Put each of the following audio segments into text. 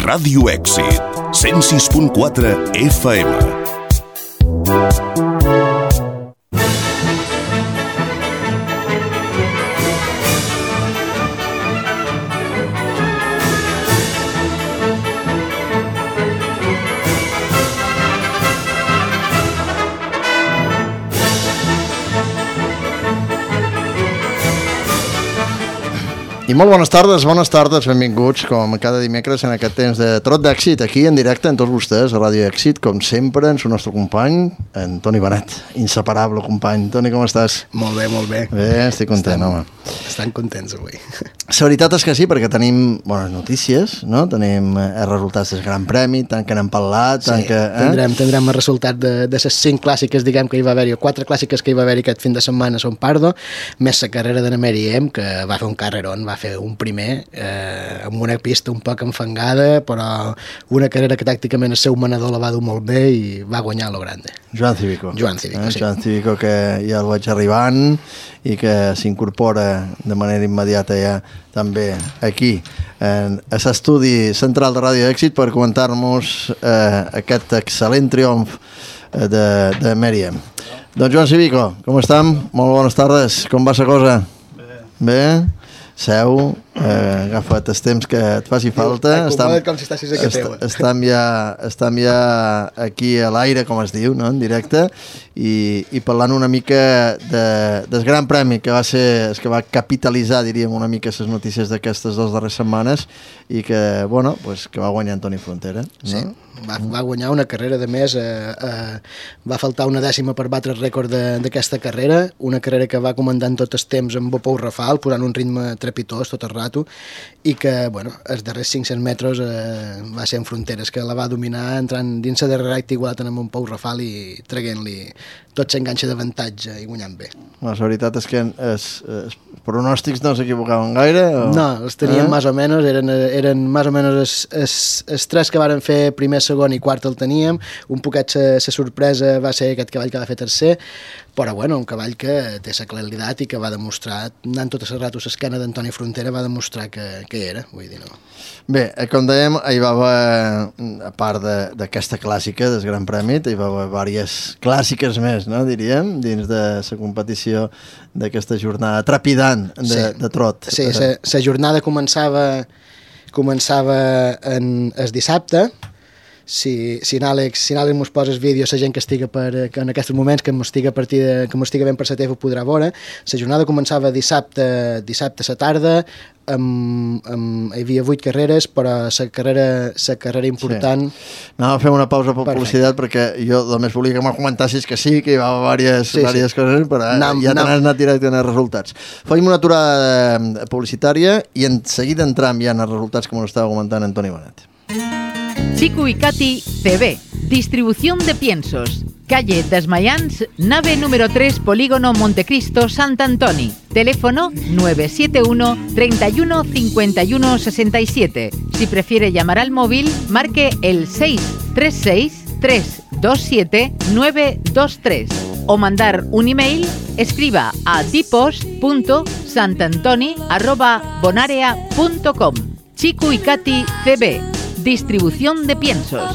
Ràdio Èxit, 106.4 FM. I molt bones tardes, benvinguts com cada dimecres en aquest temps de Trot d'Èxit, aquí en directe amb tots vostès a Ràdio Èxit, com sempre, en el nostre company, en Toni Benet, inseparable company. Toni, com estàs? Molt bé, molt bé. Bé, estic content, home. Estan contents avui. La veritat és que sí, perquè tenim bones notícies, no? Tenim els resultats del Gran Premi, tant que n'hem parlat, tant que... Tindrem el resultat de les 5 clàssiques, diguem, que hi va haver-hi, o 4 clàssiques que hi va haver-hi aquest fin de setmana a Son Pardo, més la carrera de Mary M, que va fer un carrerón, va fer un primer amb una pista un poc enfangada, però una carrera que tàcticament el seu manador la va dur molt bé i va guanyar a lo grande. Joan Cívico, sí. Joan Cívico, que ja el vaig arribant i que s'incorpora de manera immediata ja també aquí en l'estudi central de Ràdio Èxit per comentar-nos aquest excel·lent triomf de Mary M. Doncs Joan Cívico, com estem? Molt bones tardes, com va la cosa? Bé? Seu, agafa't el temps que et faci falta. Estem ja aquí a l'aire, com es diu, no? En directe, i parlant una mica del Gran Premi, que va ser el que va capitalitzar, diríem, una mica les notícies d'aquestes 2 darreres setmanes i que, bueno, pues, que va guanyar Antoni Frontera. No? Sí. Va guanyar una carrera, de més, va faltar una dècima per batre el rècord d'aquesta carrera, una carrera que va comandant tot el temps amb Bopou Rafal, posant un ritme trepitós tot el rato, i que, bueno, els darrers 500 metres va ser en Fronteres, que la va dominar entrant dins la darrera recta igualat amb un Pou Rafal i traient-li tot s'enganxa d'avantatge i guanyant bé. La veritat és que els pronòstics no s'equivocaven gaire? O... No, els teníem més o menys, eren més o menys els 3 que varen fer primer, segon i quart el teníem, un poquet la sorpresa va ser aquest cavall que va fer tercer, però bueno, un cavall que té la claritat i que va demostrar, anant tot el rato l'esquena d'Antoni Frontera, va demostrar que era, vull dir, no. Bé, com dèiem, hi va haver, a part d'aquesta clàssica del Gran Premi, hi va haver diverses clàssiques més, no, diríem, dins de la competició d'aquesta jornada trepidant de trot. Sí, la jornada començava el dissabte. Si Àlex mos posa el vídeo, la gent que en aquests moments que m'estiga ben per la teva ho podrà veure. La jornada començava dissabte a la tarda, hi havia 8 carreres, però la carrera important... Sí. Anava a fer una pausa per publicitat perquè jo només volia que m'ho comentassis que sí, que hi va haver diverses coses, però ja t'has anat directe en els resultats. Fem una aturada publicitària i en seguida entram ja en els resultats, com ho estava comentant Antoni Benet. Chico y Katy CB, distribución de piensos, calle Desmayans, nave número 3, Polígono Montecristo, Sant Antoni, teléfono 971 31 51 67. Si prefiere llamar al móvil, marque el 636 327 923 o mandar un email, escriba a dipos.santantoni@bonarea.com. Chico y Katy CB, distribución de piensos.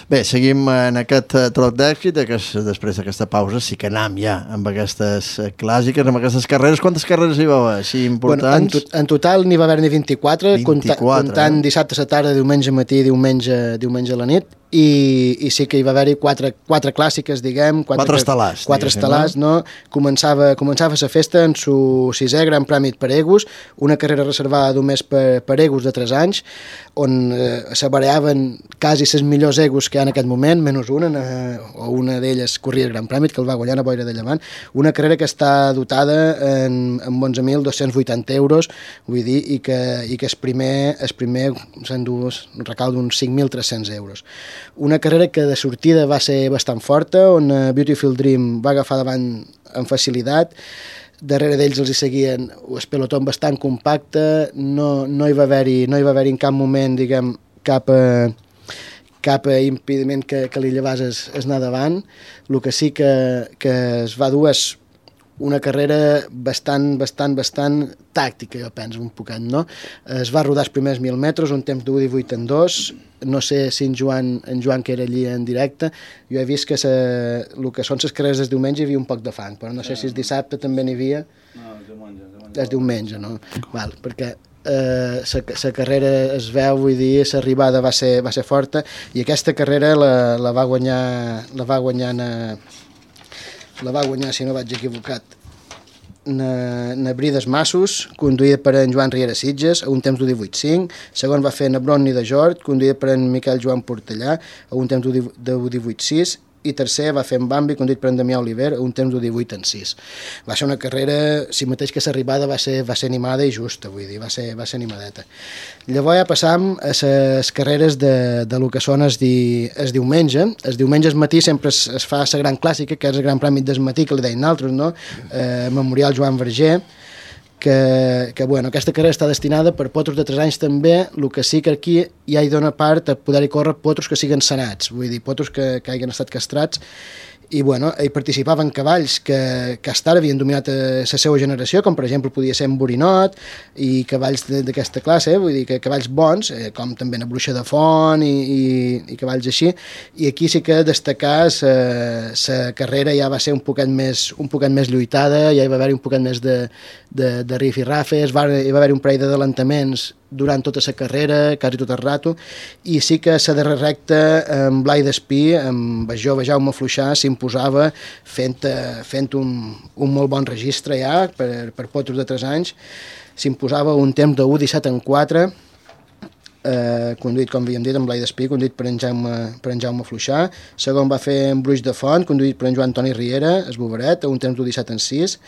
Bé, seguim en aquest trot d'èxit, després d'aquesta pausa sí que anem ja amb aquestes clàssiques, amb aquestes carreres. Quantes carreres hi va haver, així importants? Bueno, en total n'hi va haver-ne 24, comptant dissabte a la tarda, diumenge matí i diumenge a la nit, i sí que hi va haver-hi quatre clàssiques, diguem. Quatre estel·lars, no? Començava la festa en su 6è Gran Premi per Egus, una carrera reservada només per Egus de 3 anys, on s'abareaven quasi les millors Egus que hi ha en aquest moment, menys una d'elles corria el Gran Premi, que el va guanyar a Boira de Llevant, una carrera que està dotada amb 11.280 euros, vull dir, i que el primer s'endú un recau d'uns 5.300 euros. Una carrera que de sortida va ser bastant forta, on Beautiful Dream va agafar davant amb facilitat, darrere d'ells els hi seguien el pelotó bastant compacte, no hi va haver-hi en cap moment, diguem, cap impediment que li llevés es anar davant. El que sí que es va dur és una carrera bastant tàctica, jo penso, un poquet, no? Es va rodar els primers 1.000 metres, un temps d'1:18 en 2, no sé si en Joan que era allí en directe, jo he vist que el que són les carreres del diumenge hi havia un poc de fang, però no sé si el dissabte també n'hi havia. No, el diumenge, no? Val, perquè la carrera es veu, vull dir, l'arribada va ser forta, i aquesta carrera la va guanyar, si no vaig equivocat, na Brides Massos, conduïda per en Joan Riera Sitges, a un temps d'1:18.5, segon va fer na Bronni de Jord, conduïda per en Miquel Joan Portellà, a un temps d'1:18.6, i tercer va fer en Bambi, conduït per en Damià Oliver, a un temps d'1:18.6. Va ser una carrera, si mateix que l'arribada va ser animada i justa, vull dir, va ser animadeta. Llavors ja passam a les carreres de lo que són el diumenge. El diumenge al matí sempre es fa la gran clàssica, que és el Gran Premi del matí, que li deien altres, no? Memorial Joan Verger, que bueno, aquesta carrera està destinada per potros de 3 anys també, el que sí que aquí ja hi dona part a poder-hi córrer potros que siguen sanats, vull dir, potros que hagin estat castrats, i bueno, hi participaven cavalls que hasta ara havien dominat la seva generació, com per exemple podia ser en Borinot, i cavalls d'aquesta classe, vull dir que cavalls bons, com també na Bruixa de Font i cavalls així, i aquí sí que destacar la carrera ja va ser un poquet més lluitada, ja hi va haver un poquet més de rif i rafes, hi va haver un parell d'adelantaments durant tota la carrera, quasi tot el rato, i sí que la darrera recta amb Blai d'Espí, amb el jove Jaume Fluixà, s'imposava fent un molt bon registre ja per potros de 3 anys, s'imposava un temps de 1:17 en 4, conduït, com havíem dit, amb Blai d'Espí, conduït per en Jaume Fluixà. Segon va fer en Bruix de Font, conduït per en Joan Toni Riera, es Boveret, a un temps d'1:17 en 6,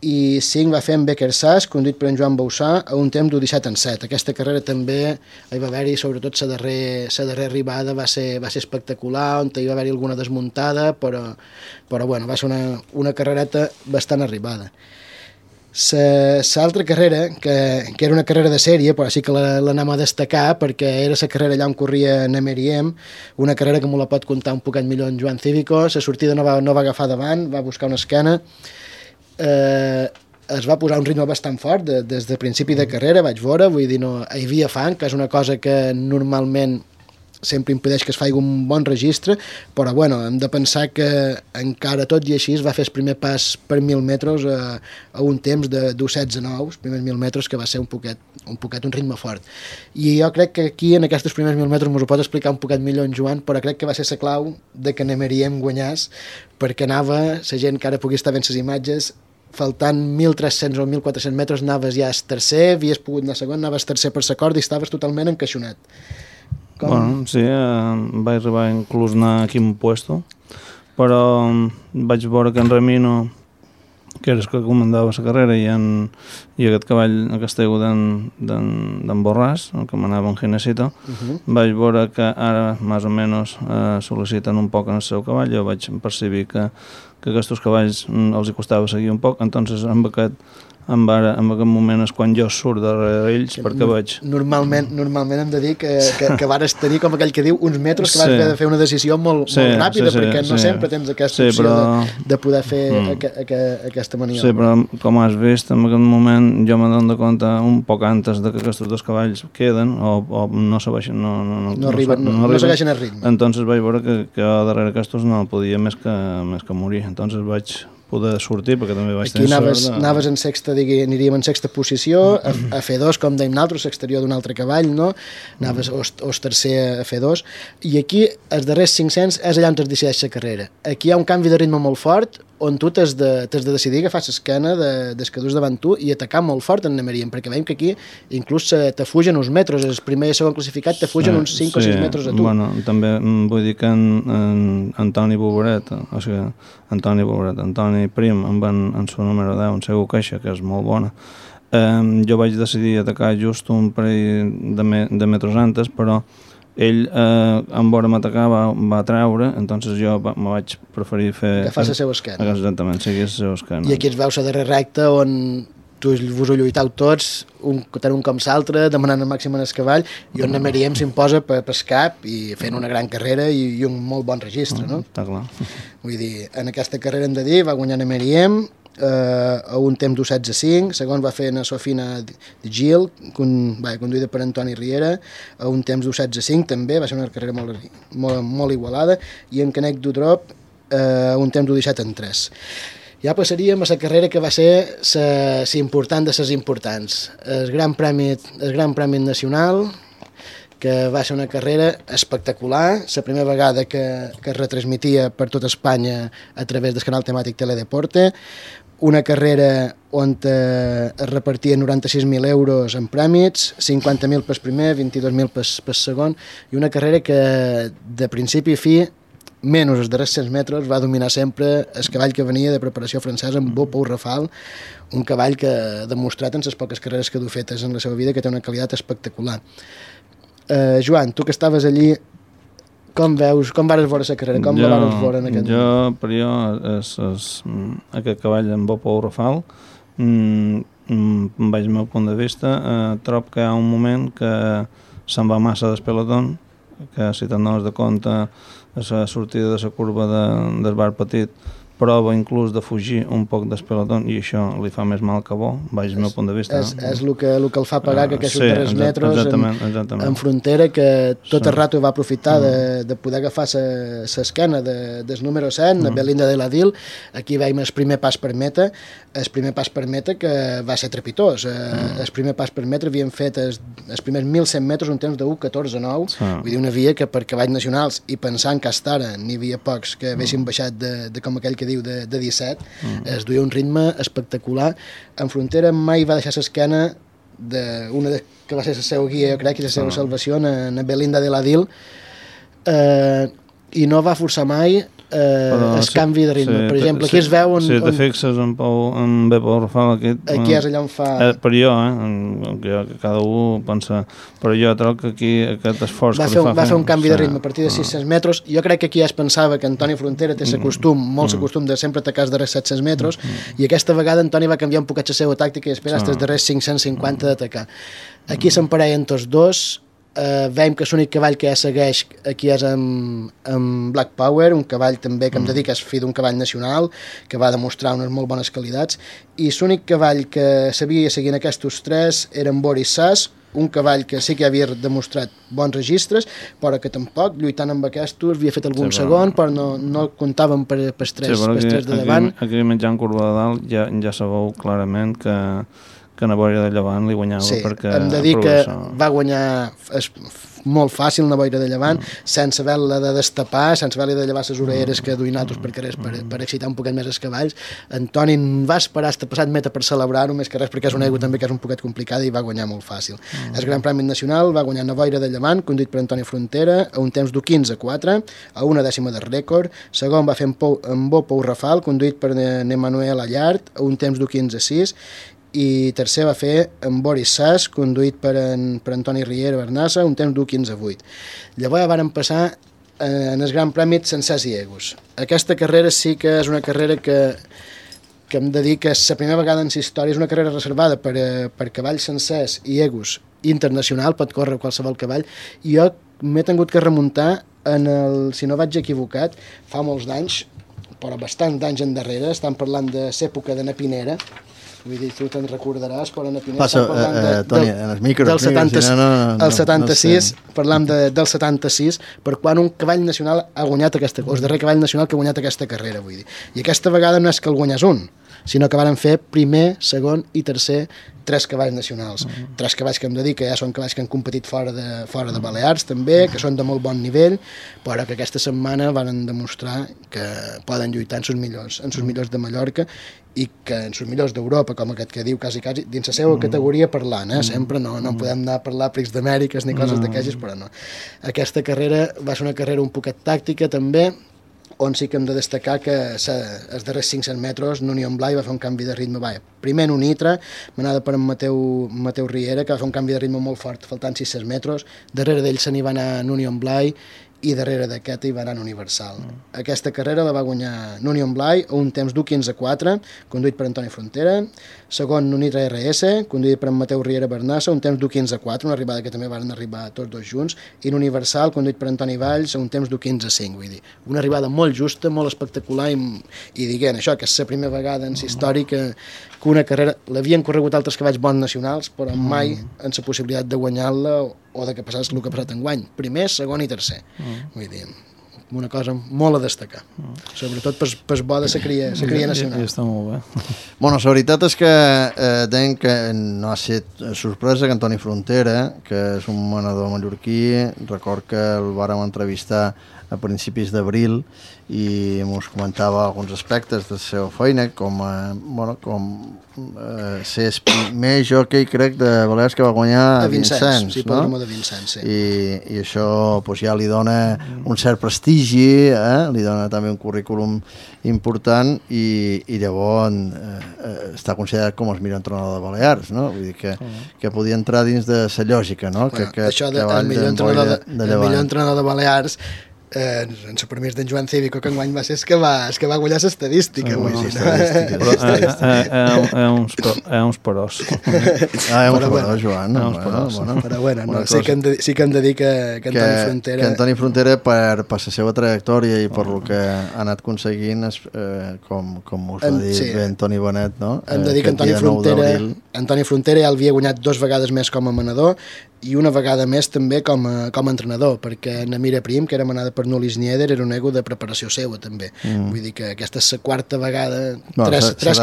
i 5 va fer en Becker Sass, conduït per en Joan Bausà, a un temps d'1:17 en 7. Aquesta carrera també hi va haver-hi, sobretot la darrera arribada va ser espectacular, on hi va haver-hi alguna desmuntada, però bueno, va ser una carrereta bastant arribada. L'altra carrera, que era una carrera de sèrie, però sí que l'anem a destacar, perquè era la carrera allà on corria Nemeriem, una carrera que m'ho la pot contar un poquet millor en Joan Cívico. La sortida no va agafar davant, va buscar una esquena, es va posar un ritme bastant fort des del principi de carrera, vaig veure, vull dir, no, hi havia fang, que és una cosa que normalment sempre impedeix que es faci un bon registre, però bueno, hem de pensar que encara tot i així es va fer el primer pas per 1.000 metres a un temps de 2:16.9, els primers 1.000 metres, que va ser un poquet un ritme fort. I jo crec que aquí, en aquests primers 1.000 metres, m'ho pot explicar un poquet millor en Joan, però crec que va ser la clau de que Nemeriem guanyàs, perquè anava, la gent que ara pugui estar veient les imatges, faltant 1.300 o 1.400 metres, anaves ja tercer, havies pogut anar segon, anaves tercer per la corda i estaves totalment encaixonat. Bueno, sí, vaig arribar inclús a anar a quin puesto, però vaig veure que en Ramino, que era el que comandava la carrera, i aquest cavall, aquest ego d'en Borràs, el que manava en Ginecito, vaig veure que ara, més o menys, sol·liciten un poc en el seu cavall. Jo vaig percibir que aquests cavalls els hi costava seguir un poc, entonces en aquest moment és quan jo surt darrere ells, perquè vaig... Normalment hem de dir que vares tenir, com aquell que diu, uns metres que vas haver de fer una decisió molt ràpida, perquè no sempre tens aquesta opció de poder fer aquesta maniobra. Sí, però com has vist, en aquest moment jo m'adono de compte un poc antes de que aquests dos cavalls queden o no segueixen el ritme. Entonces vaig veure que darrere aquests no podia més que morir. Entonces vaig poder sortir, perquè també vaig tenir sort. Aquí anaves en sexta, aniríem en sexta posició, a F2, com dèiem nosaltres, l'exterior d'un altre cavall, no? Anaves o tercer a F2, i aquí, els darrers 500, és allà on es decideix la carrera. Aquí hi ha un canvi de ritme molt fort, on tu t'has de decidir agafar l'esquena des que dus davant tu i atacar molt fort en Nemeriem, perquè veiem que aquí inclús te fugen uns metres, el primer i el segon classificat te fugen uns 5 o 6 metres a tu. Bueno, també vull dir que en Antoni Boveret, o sigui, Antoni Prim, en su número 10, en seu caixa, que és molt bona, jo vaig decidir atacar just un parell de metres antes, però ell, en vora m'atacar, va treure, entonces jo me vaig preferir fer... Agafar la seva esquena. Exactament, seguir la seva esquena. I aquí es veu la darrera recta on vos ho lluitau tots, tant un com l'altre, demanant el màxim en el cavall, i on Nemeriem s'imposa per cap i fent una gran carrera i un molt bon registre, no? Està clar. Vull dir, en aquesta carrera hem de dir, va guanyar Nemeriem, a un temps d'1:16, segon va fer na Sofina Gil, conduïda per Antoni Riera, a un temps d'1:16 també, va ser una carrera molt igualada, i en Canet d'Udrop a un temps d'1:17:3. Ja passaríem a la carrera que va ser la important de les importants, el Gran Premi Nacional, que va ser una carrera espectacular, la primera vegada que es retransmitia per tota Espanya a través del canal temàtic Teledeporte, una carrera on es repartien 96.000 euros en prèmits, 50.000 pel primer, 22.000 pel segon, i una carrera que de principi a fi, menys els darrers 100 metres, va dominar sempre el cavall que venia de preparació francesa, en Beau Pou Rafal, un cavall que ha demostrat en les poques carreres que du fetes en la seva vida que té una qualitat espectacular. Joan, tu que estaves allí, com vares veure la carrera? Com la vares veure en aquest moment? Per jo, aquest cavall en Beau Pou Rafal, vaig meu punt de vista, trobo que hi ha un moment que se'n va massa del pelotón, que si te'n dones de compte a la sortida de la curva del bar petit prova inclús de fugir un poc del pelotón i això li fa més mal que bo, vaig al meu punt de vista. És el que el fa pagar que aquests darrers metres en frontera, que tot el rato va aprofitar de poder agafar l'esquena del número 100, la Belinda de l'Adil. Aquí veiem el primer pas per meta, que va ser trepitós. El primer pas per metre havien fet els primers 1.100 metres un temps de 1:14:9, vull dir, una via que per cavalls nacionals, i pensant que hasta ara n'hi havia pocs que haguessin baixat de com aquell que diu de 17, es duia un ritme espectacular. En frontera mai va deixar l'esquena d'una que va ser la seva guia, jo crec, i la seva salvació, na Belinda de l'Adil, i no va forçar mai el canvi de ritme. Per exemple, aquí es veu... Si te fixes en Beau Pou Rafal, aquí és allà on fa... Per jo, cada un pensa... Però jo trobo que aquí aquest esforç que li fa... Va fer un canvi de ritme a partir de 600 metres. Jo crec que aquí ja es pensava que Antoni Frontera té molt l'acostum de sempre atacar els darrers 700 metres, i aquesta vegada Antoni va canviar un poquet la seva tàctica i esperar els darrers 550 d'atacar. Aquí s'emparellen tots dos. Veiem que l'únic cavall que ja segueix aquí és en Black Power, un cavall també que em dedica a fill d'un cavall nacional, que va demostrar unes molt bones qualitats, i l'únic cavall que sabia seguir en aquests tres era en Boris Sass, un cavall que sí que havia demostrat bons registres, però que tampoc, lluitant amb aquests, havia fet algun segon, però no comptaven per tres de davant. Aquí menjant curva de dalt ja sabeu clarament que Navoira de Llevant li guanyava, perquè... Hem de dir que va guanyar molt fàcil Navoira de Llevant, sense haver-la de destapar, sense haver-li de llevar les orelleres que duien altres per carrers per excitar un poquet més els cavalls. Antoni va esperar fins passat meta per celebrar-ho, més que res perquè és una aigua també que és un poquet complicada, i va guanyar molt fàcil. El Gran Premi Nacional va guanyar Navoira de Llevant, conduït per Antoni Frontera, a un temps d'1:15:4, a una dècima del rècord. Segon va fer en Beau Pou Rafal, conduït per Emmanuel Allard, a un temps d'1:15:6, i tercer va fer en Boris Sass, conduït per Antoni Riera Bernassa, un temps d'1:15:8. Llavors varen passar en el Gran Premi sencers i egos. Aquesta carrera sí que és una carrera que hem de dir que és la primera vegada en la història, és una carrera reservada per cavalls sencers i egos internacional, pot córrer qualsevol cavall, i jo m'he tingut que remuntar si no vaig equivocat, fa molts d'anys, però bastants d'anys endarrere, estan parlant de l'època de na Pinera, vull dir, tu te'n recordaràs, però na Pinera estan parlant Toni, en els micros, del 76, parlam del 76, per quan un cavall nacional ha guanyat el darrer cavall nacional que ha guanyat aquesta carrera, vull dir. I aquesta vegada no és que el guanyés un, sinó que varen fer primer, segon i tercer 3 cavalls nacionals. 3 cavalls que hem de dir que ja són cavalls que han competit fora de Balears també, que són de molt bon nivell, però que aquesta setmana van demostrar que poden lluitar en els millors de Mallorca i que en els millors d'Europa, com aquest que diu quasi dins la seva categoria parlant, sempre no podem anar a parlar Prix d'Amèriques ni coses d'aquestes, però no. Aquesta carrera va ser una carrera un poquet tàctica també, on sí que hem de destacar que els darrers 500 metres n'Union Blai va fer un canvi de ritme. Primer en un Nitra, manada per en Mateu Riera, que va fer un canvi de ritme molt fort, faltant 600 metres. Darrere d'ell se n'hi va anar en Union Blai, i darrere d'aquesta hi va anar Universal. Aquesta carrera la va guanyar Nunion Blai a un temps d'1:15.4, conduït per Antoni Frontera, segon Nunitra RS, conduït per en Mateu Riera Bernassa, un temps d'1:15.4, una arribada que també van arribar tots dos junts, i Universal, conduït per Antoni Valls, a un temps d'1:15.5, vull dir, una arribada molt justa, molt espectacular, i diguent això, que és la primera vegada en la història que una carrera, l'havien corregut altres cavalls bons nacionals, però mai en la possibilitat de guanyar-la o de que passés el que ha passat enguany. Primer, segon i tercer. Vull dir, una cosa molt a destacar. Sobretot per bo de la cria nacional. I està molt bé. Bueno, la veritat és que deien que no ha estat sorpresa que Antoni Frontera, que és un manador mallorquí, record que el vàrem entrevistar a principis d'abril i ens comentava alguns aspectes de la seva feina, com ser el primer jockey, crec, de Balears que va guanyar a Vincents, sí, no? de Vincents, sí. I això pues, ja li dona un cert prestigi, li dona també un currículum important i llavors està considerat com el millor entrenador de Balears, no? Vull dir que podia entrar dins de la lògica, no? Bueno, això del millor entrenador de Balears en el permís d'en Joan Cívico, que enguany va ser el que va guanyar l'estadística. Uns perós. Uns perós, Joan. Però bueno, sí que hem de dir que Antoni Frontera... Que Antoni Frontera, per la seva trajectòria i per el que ha anat aconseguint, com us va dir Antoni Bonet, no? Hem de dir que Antoni Frontera ja l'havia guanyat 2 vegades més com a manador i una vegada més també com a entrenador, perquè Namira Prim, que era manada per Nulis Nieder, era un ego de preparació seva també. Vull dir que aquesta és la quarta vegada, 3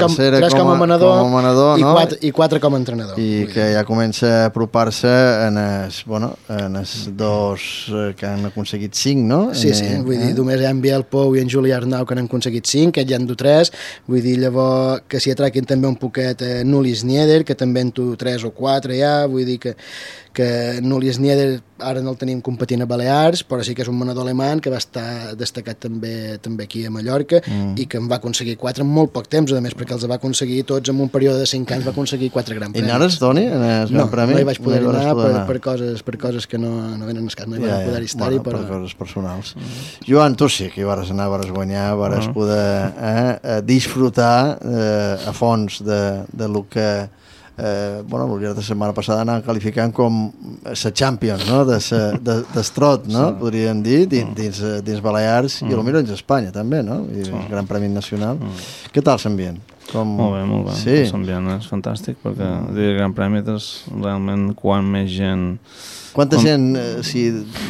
com a manador i 4 com a entrenador. I que ja comença a apropar-se en els dos que han aconseguit 5, no? Sí, vull dir, només hi ha en Biel Pou i en Juli Arnau que han aconseguit 5, que ja en du 3, vull dir, llavors que s'hi atraquin també un poquet Nulis Nieder, que també en du 3 o 4 ja, vull dir que Nulis Nieder ara no el tenim competint a Balears, però sí que és un manador alemany que va estar destacat també aquí a Mallorca i que en va aconseguir 4 en molt poc temps, a més, perquè els va aconseguir tots en un període de 5 anys, va aconseguir 4 Gran Premis. I anaves, Toni, en el Gran Premi? No hi vaig poder anar per coses que no venen al cas, no hi vaig poder estar-hi. Per coses personals. Joan, tu sí que hi vas anar, vas guanyar, vas poder disfrutar a fons de lo que el llarg de la setmana passada anàvem qualificant com la Champions, no? d'estrot, no? Podríem dir, dins Balears i potser dins Espanya també, no? I el Gran Premi Nacional. Què tal l'ambient? Molt bé. Sí. L'ambient és fantàstic perquè el Gran Premi és realment quan més gent... Quanta gent s'hi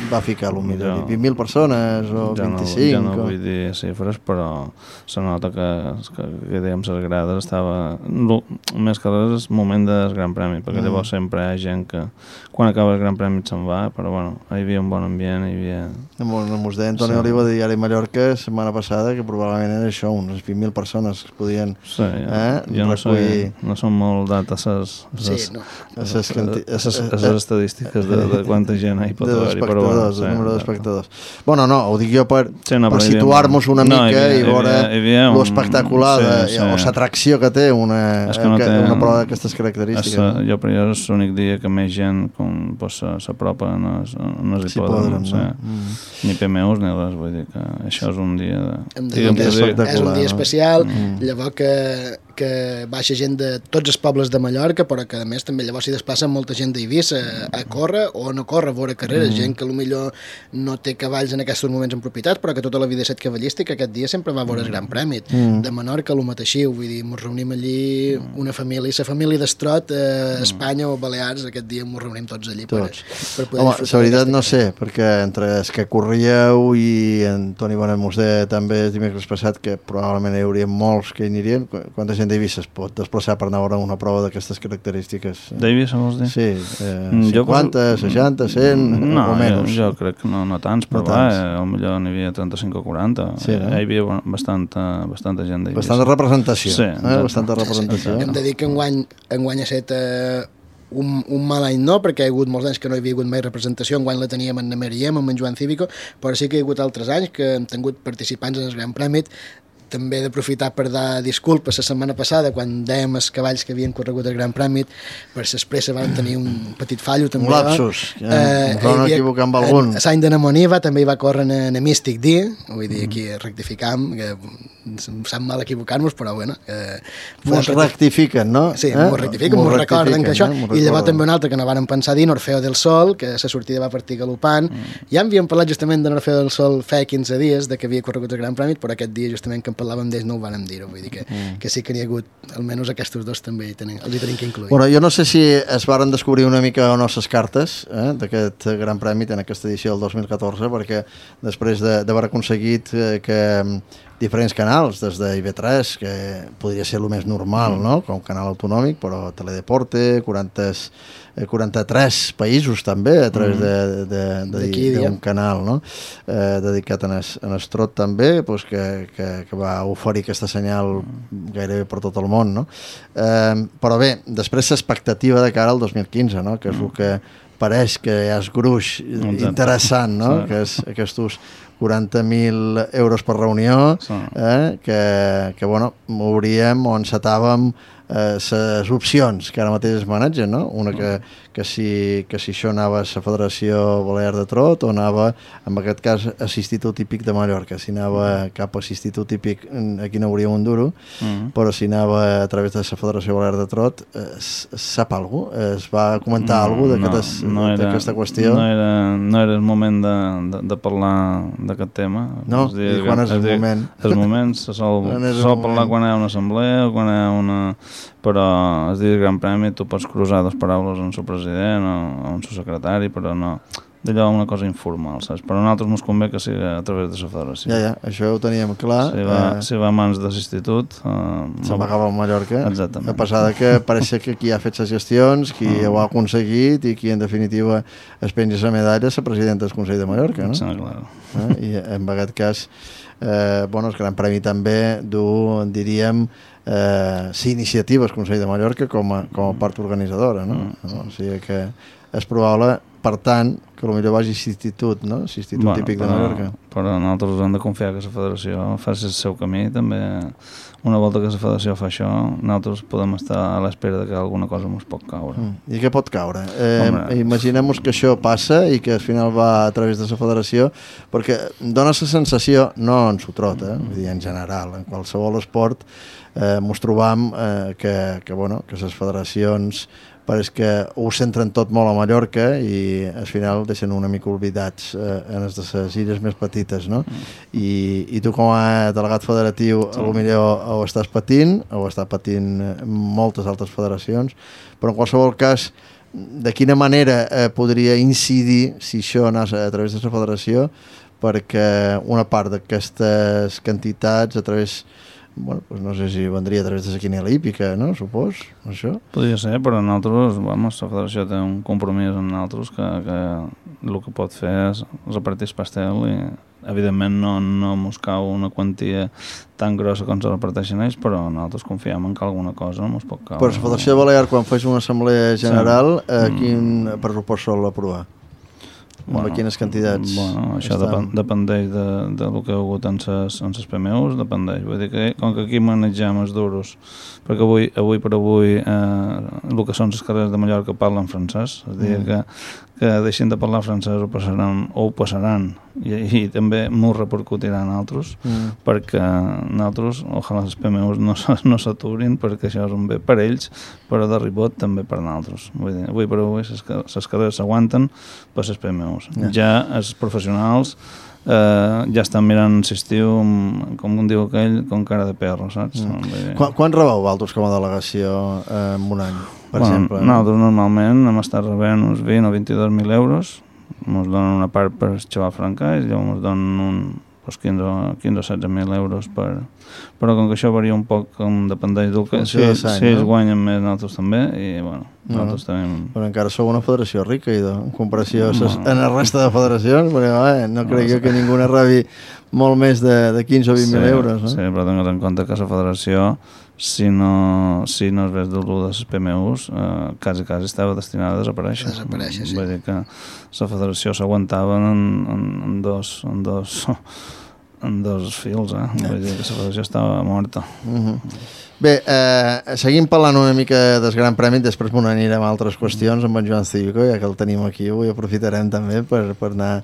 va ficar, potser? 20.000 persones o 25? Ja no vull dir xifres, però se nota que diguem, les grades estava... Més que res és el moment del Gran Premi, perquè llavors sempre hi ha gent que quan acaba el Gran Premi se'n va, però bueno, hi havia un bon ambient, hi havia... Ens deia Antoni Oliva de Diari Mallorca la setmana passada que probablement era això, unes 20.000 persones que podien recollir... No són molt dates les estadístiques de quanta gent hi pot haver-hi, però bueno... De número d'espectadors. Bueno, no, ho dic jo per situar-nos una mica i veure l'espectacular o l'atracció que té una prova d'aquestes característiques. Jo per allò és l'únic dia que més gent s'apropa en els hipòdroms. Ni PMUs ni res, vull dir que això és un dia... És un dia especial, llavors que baixa gent de tots els pobles de Mallorca, però que a més també llavors s'hi desplaça molta gent d'Eivissa a córrer o a no córrer, a veure carreres, gent que potser no té cavalls en aquests moments en propietat, però que tota la vida ha estat cavallística, aquest dia sempre va a veure el Gran Premi. De Menorca, el mateixiu, vull dir, ens reunim allí una família, la família d'Estrot, Espanya o Balears, aquest dia ens reunim tots allí per poder... Home, la veritat no sé, perquè entre els que corríeu i en Toni Bonet mos deia també el dimecres passat que probablement hi hauria molts que hi anirien, quanta gent d'Eivissa es pot desplaçar per anar a veure una prova d'aquestes característiques? D'Eivissa vols dir? Sí, 50, 60, 100 o menys. Jo crec que no tants, però potser n'hi havia 35 o 40. Hi havia bastanta gent d'Eivissa. Bastanta representació. Sí. Bastanta representació. Hem de dir que enguany ha estat un mal any no, perquè hi ha hagut molts anys que no hi havia hagut mai representació, enguany la teníem en Meriem, amb en Joan Cívico, però sí que hi ha hagut altres anys que hem tingut participants en el Gran Premi també d'aprofitar per dar disculpes la setmana passada, quan dèiem els cavalls que havien corregut el Gran Premi, per s'expressa van tenir un petit fallo també. Un lapsus, ens vam equivocar amb algun. A l'any de Namoniva també hi va córrer en Mystic D, vull dir, aquí rectificam, que em sap mal equivocar-nos, però bueno. Mos rectifiquen, no? Sí, mos rectifiquen, mos recorden que això. I llavors també un altre que no varen pensar dir, Orfeo del Sol, que la sortida va partir galopant. Ja havíem parlat justament de l'Orfeo del Sol fa 15 dies, de que havia corregut el Gran Premi, però aquest dia justament que en parlàvem d'ells no ho vàrem dir-ho, vull dir que sí que n'hi ha hagut, almenys aquests dos també els tenim que incluir. Bueno, jo no sé si es varen descobrir una mica o no les cartes d'aquest Gran Premi en aquesta edició del 2014, perquè després d'haver aconseguit que diferents canals, des de IB3, que podria ser el més normal, no? Com canal autonòmic, però Teledeporte, 43 països també, a través d'un canal, no? Dedicat a Estrot també, pues, que va oferir aquesta senyal gairebé per tot el món, no? Però bé, després l'expectativa de cara al 2015, no? Que és el que pareix que hi ha el gruix interessant, no? Que és aquests 40.000 euros per reunió, que bueno, mouríem o encetàvem les opcions que ara mateix es manegen, no? Una que si això anava a la Federació Balear de Trot o anava, en aquest cas, a l'Institut Hípic de Mallorca. Si anava cap a l'Institut Hípic, aquí no hauríem un duro, però si anava a través de la Federació Balear de Trot, sap alguna cosa? Es va comentar alguna cosa d'aquesta qüestió? No era el moment de parlar d'aquest tema. No? I quan és el moment? Els moments se sol parlar quan hi ha una assemblea o quan hi ha una... Però es diu Gran Premi, tu pots cruzar dos paraules amb el seu president o amb el seu secretari, però no... D'allò una cosa informal, saps? Però a nosaltres ens convé que sigui a través de la federació. Ja, això ho teníem clar. Si va a mans de l'institut... Se'n va acabar a Mallorca. Exactament. A pesar que pareix que qui ha fet les gestions, qui ho ha aconseguit i qui en definitiva es penja la medalla és la presidenta del Consell de Mallorca, no? Sí, clar. I en aquest cas, el Gran Premi també du, diríem, iniciativa al Consell de Mallorca com a part organitzadora, no? O sigui que és probable, per tant, que potser vagi a l'Institut, no? L'Institut Típic de Mallorca. Però nosaltres hem de confiar que la federació faci el seu camí, també. Una volta que la federació fa això, nosaltres podem estar a l'espera que alguna cosa ens pot caure. I què pot caure? Imaginem-nos que això passa i que al final va a través de la federació, perquè dona la sensació, no en Sotrot, vull dir, en general, en qualsevol esport, ens trobam que les federacions pareix que ho centren tot molt a Mallorca i al final deixen una mica oblidats en les de les illes més petites, no? I tu com a delegat federatiu potser ho estàs patint, ho està patint moltes altres federacions, però en qualsevol cas, de quina manera podria incidir si això anés a través de la federació perquè una part d'aquestes quantitats a través... Bueno, pues no sé si vendria a través de la quiniela hípica, no? Supos, això? Podria ser, però nosaltres, la federació té un compromís amb nosaltres que el que pot fer és repartir el pastel i, evidentment, no ens cau una quantia tan grossa com se reparteixen ells, però nosaltres confiem en que alguna cosa ens pot caure. Però la Federació Balear, quan fes una assemblea general, quin pressupost sol aprovar? Bueno, quines quantitats? Bueno, això dependeix del que ha hagut en les PMUs, dependeix. Vull dir que, com que aquí manegem els duros, perquè avui per avui el que són les carreres de Mallorca parlen francès, és a dir, que deixin de parlar francès ho passaran i també m'ho repercutiran altres, perquè nosaltres, ojalà les PMUs no s'aturin, perquè això és un bé per ells, però de ribot també per nosaltres. Vull dir, avui per avui les carreres s'aguanten per les PMUs. Ja els professionals ja estan mirant l'estiu, com un diu aquell, com cara de perro, saps? Quan rebeu vosaltres com a delegació en un any, per exemple? Nosaltres normalment hem estat rebent uns 20 o 22.000 euros, ens donen una part per xaval francès, llavors ens donen 15 o 16.000 euros però com que això varia un poc, com dependeix del que si ells guanyen més, nosaltres també, i bueno, nosaltres tenim... Però encara sou una federació rica, en comparació en la resta de federacions, perquè no crec jo que ningú rebi molt més de 15 o 20.000 euros, no? Sí, però tingues en compte que la federació, si no es ves del de les PMUs, quasi estava destinada a desaparèixer. Sí. Vull dir que la federació s'aguantava en dos en dos fils, vull dir que la federació estava morta. Bé, seguim parlant una mica del Gran Premi, després m'ho anirem a altres qüestions amb en Joan Cívico, ja que el tenim aquí avui, aprofitarem també per anar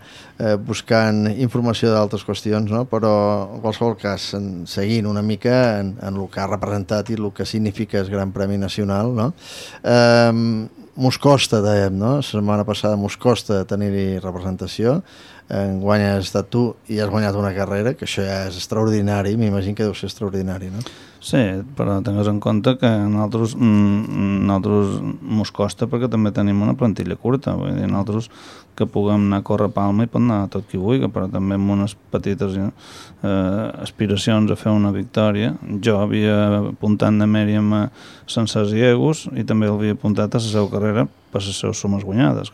buscant informació d'altres qüestions, no? Però en qualsevol cas, seguint una mica en el que ha representat i el que significa el Gran Premi Nacional, no? Mos costa, dèiem, no? La setmana passada mos costa tenir-hi representació, enguany has estat tu i has guanyat una carrera, que això ja és extraordinari, m'imagino que deu ser extraordinari, no? Sí, però tingues en compte que nosaltres mos costa perquè també tenim una plantilla curta, vull dir, nosaltres que puguem anar a córrer Palma i pot anar tot qui vulgui, però també amb unes petites aspiracions a fer una victòria. Jo havia apuntat de Mèriam a Sencers i Egus i també l'havia apuntat a la seva carrera per les seves sumes guanyades,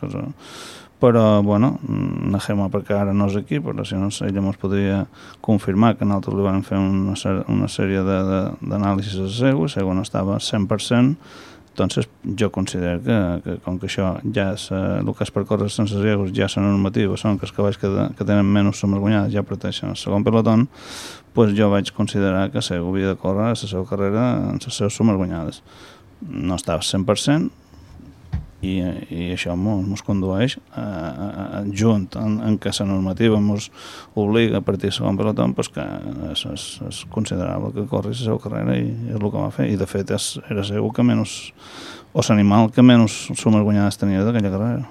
però, bueno, Nahema perquè ara no és aquí, però si no ella ens podria confirmar que nosaltres li vam fer una sèrie d'anàlisis a Sego no estava 100%, doncs jo considero que com que això ja és el que és per córrer sense Segos, ja és normativa, són que els cavalls que tenen menys sumes guanyades ja parteixen el segon pelotón, doncs jo vaig considerar que Sego havia de córrer la seva carrera en les seves sumes guanyades. No estava 100%, i això ens condueix junt en què la normativa ens obliga a partir del segon pelotó, doncs que és considerable que corri la seva carrera i és el que va fer, i de fet era segur que menys, o l'animal que menys sumes guanyades tenia d'aquella carrera.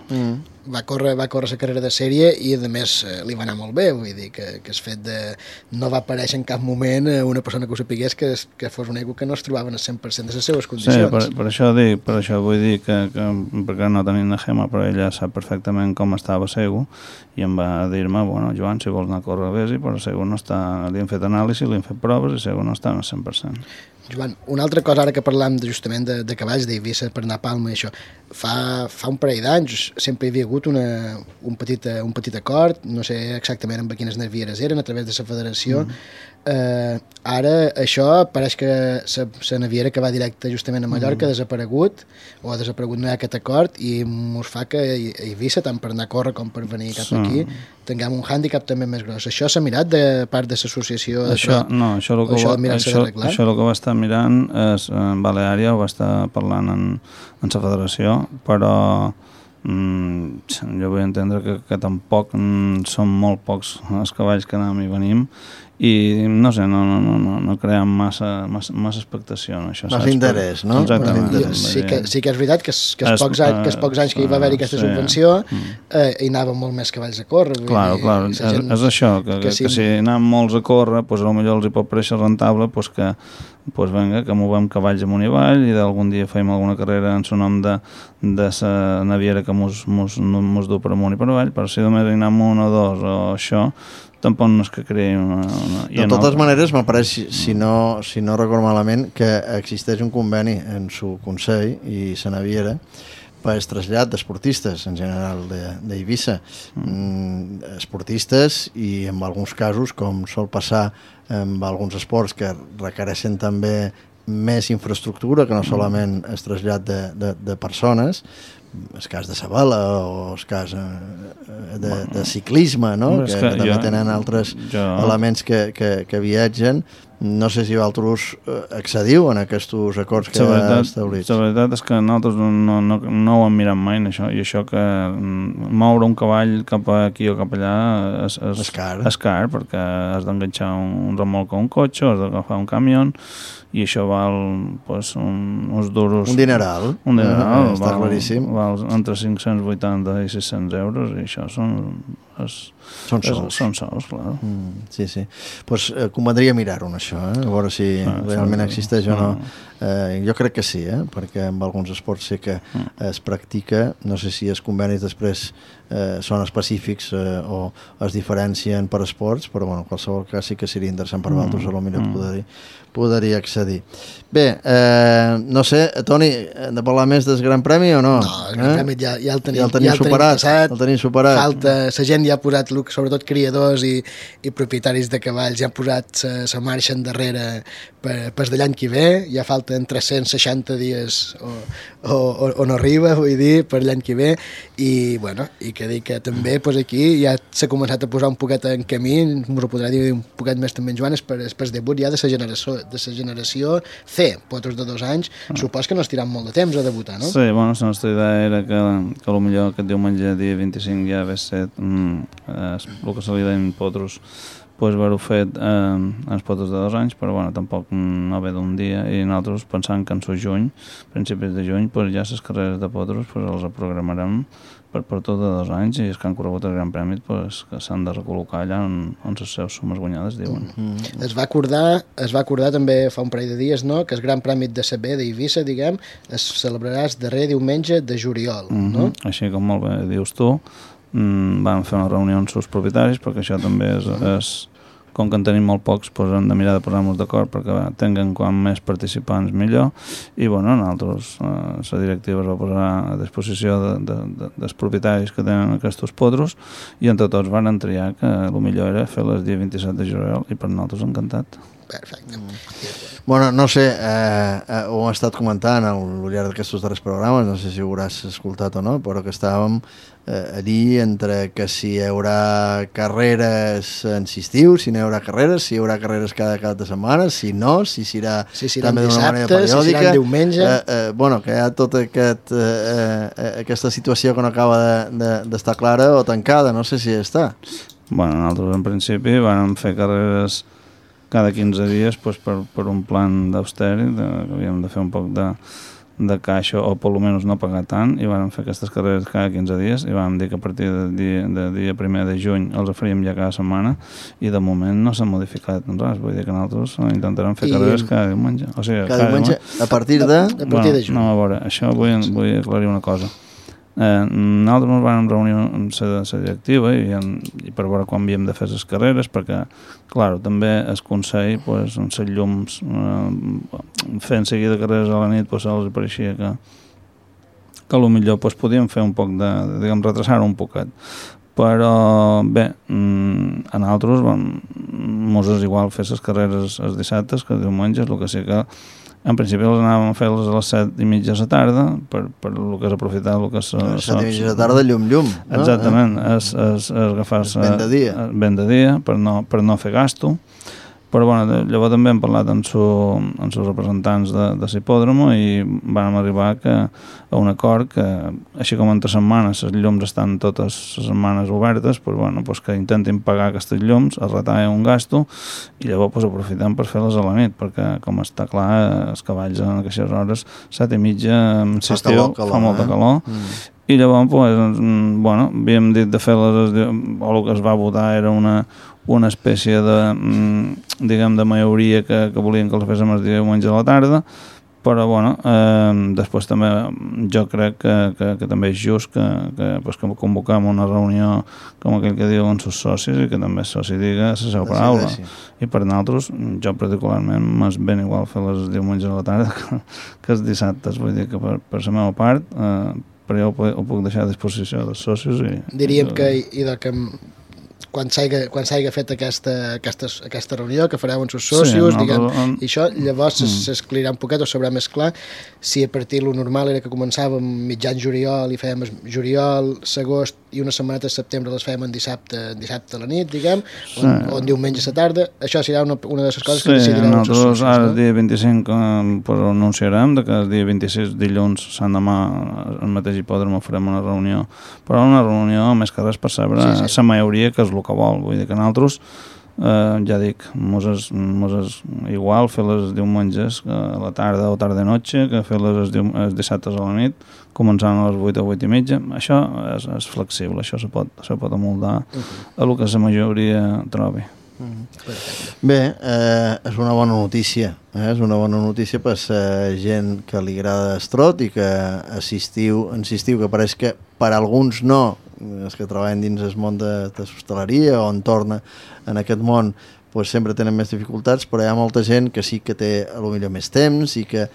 Va córrer la carrera de sèrie i a més li va anar molt bé, vull dir que el fet de no va aparèixer en cap moment una persona que ho sapigués que fos un ego que no es trobava en el 100% de les seves condicions. Sí, per això vull dir que perquè no tenim Nahema, però ella sap perfectament com estava Sego i em va dir-me, bueno, Joan, si vols anar a córrer vés-hi, però Sego no està, li hem fet anàlisi, li hem fet proves i Sego no està en el 100%. Joan, una altra cosa, ara que parlam justament de cavalls d'Eivissa per anar a Palma i això, fa un parell d'anys sempre hi havia hagut un petit acord, no sé exactament amb quines navieres eren, a través de la federació. Ara això pareix que la naviera que va directe justament a Mallorca ha desaparegut, o ha desaparegut no hi ha aquest acord, i ens fa que a Eivissa, tant per anar a córrer com per venir cap aquí, tinguem un hàndicap també més gros. Això s'ha mirat de part de l'associació? Això el que va estar mirant és Baleària, ho va estar parlant en la federació, però jo vull entendre que tampoc són molt pocs els cavalls que anem i venim i no sé, no creem massa expectació en això. Massa interès, no? Exactament. Sí que és veritat que els pocs anys que hi va haver aquesta subvenció hi anaven molt més cavalls a córrer. Clar, és això, que si anem molts a córrer, potser els hi pot pareixer rentable que venga, que movem cavalls amunt i avall i d'algun dia fem alguna carrera en son nom de la naviera que mos du per amunt i per avall, però si només hi anem un o dos o això, tampoc no és que creï De totes maneres, m'apareix, si no recordo malament, que existeix un conveni en su Consell i la naviera per el trasllat d'esportistes en general d'Eivissa. Esportistes i en alguns casos, com sol passar amb alguns esports que requereixen també més infraestructura que no solament el trasllat de persones, el cas de Sabela o el cas de ciclisme, no? que també tenen altres elements que viatgen. No sé si vosaltres accediu en aquests acords que ha establit. La veritat és que nosaltres no ho hem mirat mai, això, i això que moure un cavall cap aquí o cap allà és car, perquè has d'enganxar un remolc a un cotxe, has d'agafar un camió, i això val uns duros... Un dineral. Està claríssim. Val entre 580 i 600 euros, i això són sols, clar. Sí. Doncs convendria mirar-ho, això, a veure si realment existeix o no. Jo crec que sí, perquè en alguns esports sí que es practica. No sé si els convenis després són específics o es diferencien per esports, però en qualsevol cas sí que seria interessant per vosaltres, potser podria accedir. Bé, no sé, Toni, hem de parlar més del Gran Premi o no? No, el Gran Premi ja el tenim superat. El tenim superat. Falta, la gent ja ha posat, sobretot criadors i propietaris de cavalls, ja han posat la marxa endarrere per de l'any que ve, ja falta porten 360 dies o no arriba, vull dir, per l'any que ve, i bueno, i que dic que també pues, aquí ja s'ha començat a posar un poquet en camí, us ho podrà dir un poquet més també en Joan, per el debut ja de la generació C, potros de 2 anys, supos que no estiran molt de temps a debutar, no? Sí, bueno, la nostra idea era que potser aquest diumenge, dia 25, ja hagués set el que se li deien potros, pues haver-ho fet els potros de 2 anys, però bueno, tampoc no ve d'un dia, i nosaltres pensant que en juny, principis de juny, pues ja les carreres de potros pues els programarem per tot de 2 anys, i els que han corregut el Gran Premi pues, que s'han de recol·locar allà on les seves sumes guanyades diuen. Es va acordar també fa un parell de dies, no?, que el Gran Premi de la B d'Eivissa, diguem, es celebrarà el darrer diumenge de juliol, no? Així com molt bé dius tu, vam fer una reunió amb els propietaris, perquè això també és com que en tenim molt pocs, doncs hem de mirar de posar-nos d'acord perquè tinguen quan més participants millor, i bueno, nosaltres la directiva es va posar a disposició dels propietaris que tenen aquests potros, i entre tots van triar que el millor era fer-les dia 27 de juliol, i per nosaltres encantat. Perfecte. Bueno, no sé, ho hem estat comentant al llarg d'aquests darrers programes, no sé si ho hauràs escoltat o no, però que estàvem allí entre que si hi haurà carreres en estiu, si no hi haurà carreres, si hi haurà carreres cada cap de setmana, si no, si serà també d'una manera periòdica. Si serà diumenge. Bueno, que hi ha tota aquesta situació que no acaba d'estar clara o tancada, no sé si està. Bueno, nosaltres en principi vam fer carreres cada 15 dies pues, per un plan d'austeri, que havíem de fer un poc de caixa o per almenys no pagar tant, i vam fer aquestes carreres cada 15 dies, i vam dir que a partir del dia 1 de juny els faríem ja cada setmana, i de moment no s'ha modificat res, vull dir que nosaltres intentarem fer carreres cada diumenge. O sigui, cada diumenge a partir de juny. No, a veure, això vull aclarir una cosa. Nosaltres ens vam reunir amb la directiva i per veure quan havíem de fer les carreres, perquè clar, també el Consell pues, amb les llums fent seguida carreres a la nit pues, els pareixia que potser pues, podíem fer un poc diguem, retrasar un poquet, però bé, a nosaltres mos és igual fer les carreres els dissabtes que els diumenges, el que sí que en principi les anàvem a fer-les a les 7:30 de la tarda, per el que és aprofitar el que és... 7:30 de la tarda, llum, no? Exactament, és agafar-se... Ben de dia, per no fer gasto. Però bueno, llavors també hem parlat amb els representants de l'hipòdromo i vam arribar a un acord que, així com entre setmanes les llums estan totes les setmanes obertes, pues, bueno, pues que intentin pagar aquestes llums, es retalla un gasto i llavors pues, aprofitem per fer-les a la nit, perquè com està clar, els cavalls en aquestes hores, 7:30 s'estiu, fa molta calor. I llavors, pues, bueno, havíem dit de fer-les, o el que es va votar era una espècie de, diguem, de majoria que volien que els féssim el diumenge a la tarda, però bueno, després també jo crec que també és just que convoquem una reunió com aquell que diuen els socis i que també el soci diga la seva paraula. I per nosaltres, jo particularment m'és ben igual fer les diumenges a la tarda que els dissabtes, vull dir que per la meva part, però jo ho puc deixar a disposició dels socis. Diríem que quan s'hagi fet aquesta reunió que fareu amb els socios, diguem, i això llavors s'esclarirà un poquet o sabrà més clar si a partir lo normal era que començàvem mitjan juliol i fèiem juliol, agost i una setmaneta de setembre les fèiem en dissabte a la nit, diguem, o en diumenge a la tarda. Això serà una de les coses que decidireu els socios. Sí, ara el dia 25 ho anunciarem, que el dia 26 dilluns, sant demà, al mateix hipòdrom farem una reunió, però una reunió més que res per saber la majoria que és el que vol, vull dir que nosaltres ja dic, mos és igual fer les diumenges a la tarda o tarda-noche que fer les els dissabtes a la nit, començant a les 8 o 8:30. Això és flexible, això se pot amoldar a el que la majoria trobi. Bé, és una bona notícia, és una bona notícia per la gent que li agrada estrot i que assistiu, que pareix que per alguns no, els que treballen dins el món de l'hostaleria o en torna en aquest món, pues, sempre tenen més dificultats, però hi ha molta gent que sí que té potser més temps i que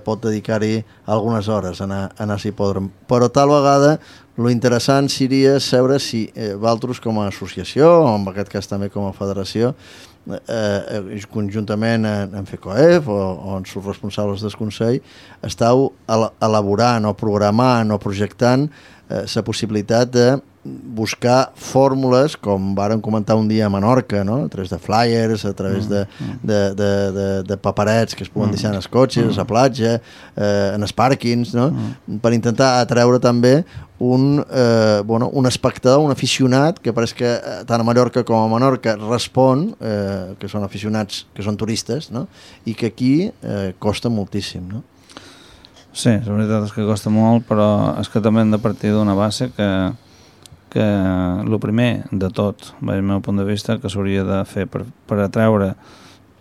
pot dedicar-hi algunes hores a anar a l'hipòdrom. Però tal vegada lo interessant seria saber si vosaltres com a associació, o en aquest cas també com a federació, conjuntament en FECOEF o en els responsables del Consell, estàu elaborant o programant o projectant la possibilitat de buscar fórmules, com vàrem comentar un dia a Menorca, no? A través de flyers, a través de paperets que es poden deixar en els cotxes, a la platja, en els pàrquings, no? Per intentar atreure també un espectador, un aficionat, que pareix que tant a Mallorca com a Menorca respon, que són aficionats, que són turistes, no? I que aquí costa moltíssim, no? Sí, la veritat és que costa molt, però és que també hem de partir d'una base que el primer de tot, des del meu punt de vista, que s'hauria de fer per atreure,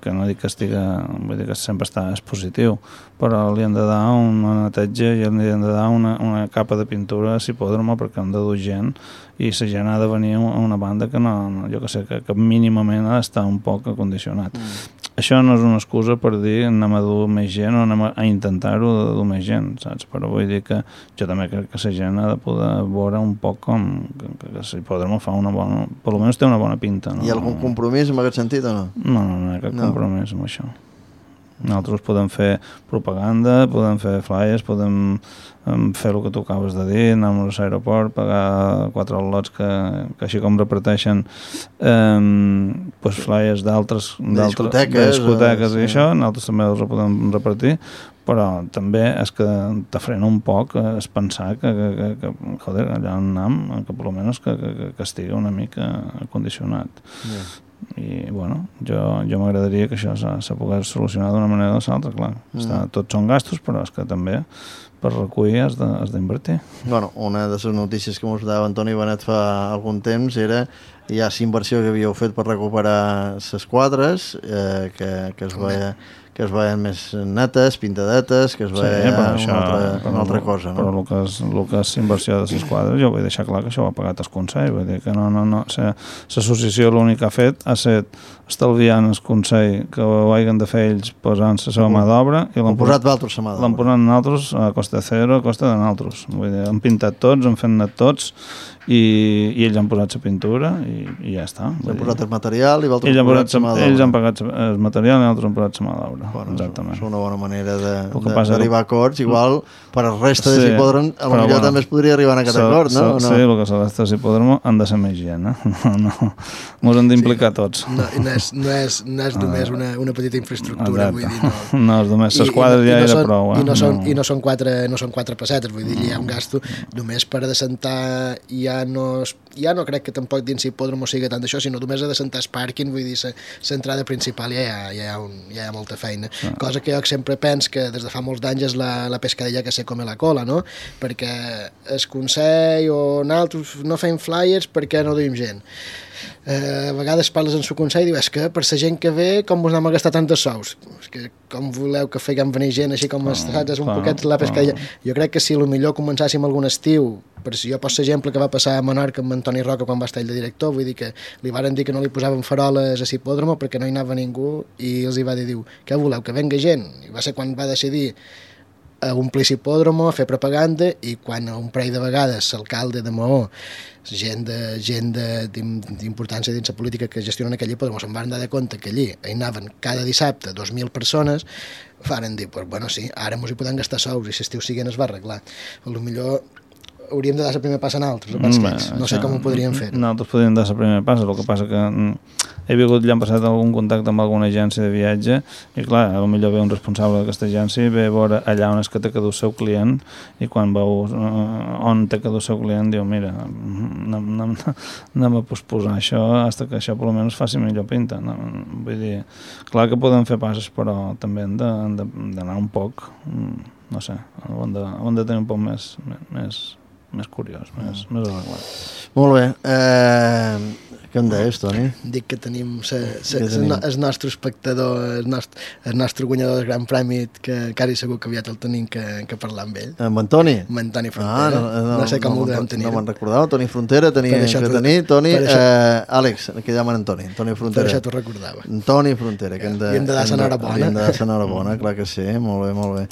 que no dic que vull dir que sempre està positiu, però li han de dar una neteja i li han de dar una capa de pintura a l'hipòdrom perquè han de dur gent i la gent ha de venir a una banda que no, jo que sé, que mínimament ha d'estar un poc acondicionat. Això no és una excusa per dir anem a dur més gent o anem a intentar-ho de dur més gent, saps? Però vull dir que jo també crec que la gent ha de poder veure un poc com que l'hipòdrom fa una bona... Per almenys té una bona pinta, no? Hi ha algun compromís en aquest sentit o no? No hi ha cap compromís amb això. Nosaltres podem fer propaganda, podem fer flyers, podem fer el que tu acabes de dir, anar a l'aeroport, pagar 4 lots que així com reparteixen flyers d'altres discoteques i això, nosaltres també els podem repartir, però també és que te frena un poc és pensar que joder, allà on anem, que per almenys que estigui una mica acondicionat. I bueno, jo m'agradaria que això se pogués solucionar d'una manera o de l'altra, clar. Tots són gastos, però és que també per recollir has d'invertir. Bueno, una de les notícies que ens dava Antoni Benet fa algun temps era ja la inversió que havíeu fet per recuperar les quadres, que es veien més netes, pintadetes, que es veia una altra cosa. No? Però el que és inversió de les quadres, jo vull deixar clar que això ho ha pagat el Consell, vull dir que no. L'associació l'únic que ha fet ha estat estalviant el Consell que ho hagin de fer ells posant la seva mà d'obra i l'han posat vosaltres a mà d'obra. L'han posat nosaltres a costa zero, a costa de nosaltres. Vull dir, han pintat tots, han fet net tots i ells han posat la pintura i ja està. Han posat el material i vosaltres han posat la mà d'obra. Ells han pagat el material i nosaltres han posat la mà d'obra. Bueno, exactament. És una bona manera d'arribar a acords. Igual, per al resta de l'hipòdrom, potser també es podria arribar a aquest acord, no? Sí, el que s'ha de l'hipòdrom han de ser més gent, Ens hem d'implicar tots. No és només una petita infraestructura, vull dir, no és només les quadres ja era prou. I no són quatre pessetes, vull dir, hi ha un gasto només per adassentar, ja no crec que tampoc dins l'hipòdrom o sigui tant d'això, sinó només adassentar el pàrquing, vull dir, l'entrada principal ja hi ha molta feina. Cosa que jo sempre penso que des de fa molts d'anys és la pescadilla que se come la cola, no? Perquè el Consell o nosaltres no fem flyers perquè no duim gent. A vegades parles en el Consell i dius que per la gent que ve com vos anem a gastar tantes sous, que com voleu que feiem venir gent així com és un poquet la pescadilla. Jo crec que si millor començàssim algun estiu, per si jo poso l'exemple que va passar a Menorca amb Antoni Roca quan va estar ell de director, vull dir que li varen dir que no li posaven faroles a l'hipòdrom perquè no hi anava ningú i els hi va dir, què voleu, que venga gent? I va ser quan va decidir a omplir l'hipòdrom, a fer propaganda, i quan un parell de vegades l'alcalde de Maó, gent d'importància dins la política que gestionen aquell hipòdrom, se'n van dar de compte que allí hi anaven cada dissabte 2.000 persones, varen dir, bueno, sí, ara mos hi podem gastar sous i l'estiu siguent es va arreglar. Potser hauríem de dar el primer pas a nosaltres, no sé com ho podríem fer. Nosaltres podríem dar el primer pas, el que passa que he vingut l'any passat algun contacte amb alguna agència de viatge i clar, potser ve un responsable d'aquesta agència i ve a veure allà on és que té que dur el seu client i quan veu on té que dur el seu client diu, mira, anem a posposar això fins que això per almenys faci millor pinta. Vull dir, clar que podem fer passes, però també hem d'anar un poc, no sé, hem de tenir un poc més curiós, més arreglat. Molt bé. Què em deies, Toni? Dic que tenim el nostre espectador, el nostre guanyador del Gran Premi, que quasi segur que aviat el tenim que parlar amb ell. Amb en Toni? Amb en Toni Frontera. No sé com ho devem tenir. No me'n recordava. Toni Frontera tenia que tenir. Toni, Àlex, que llamen en Toni. Toni Frontera. Per això t'ho recordava. Toni Frontera. I hem de dar l'enhorabona. Hem de dar l'enhorabona, clar que sí. Molt bé, molt bé.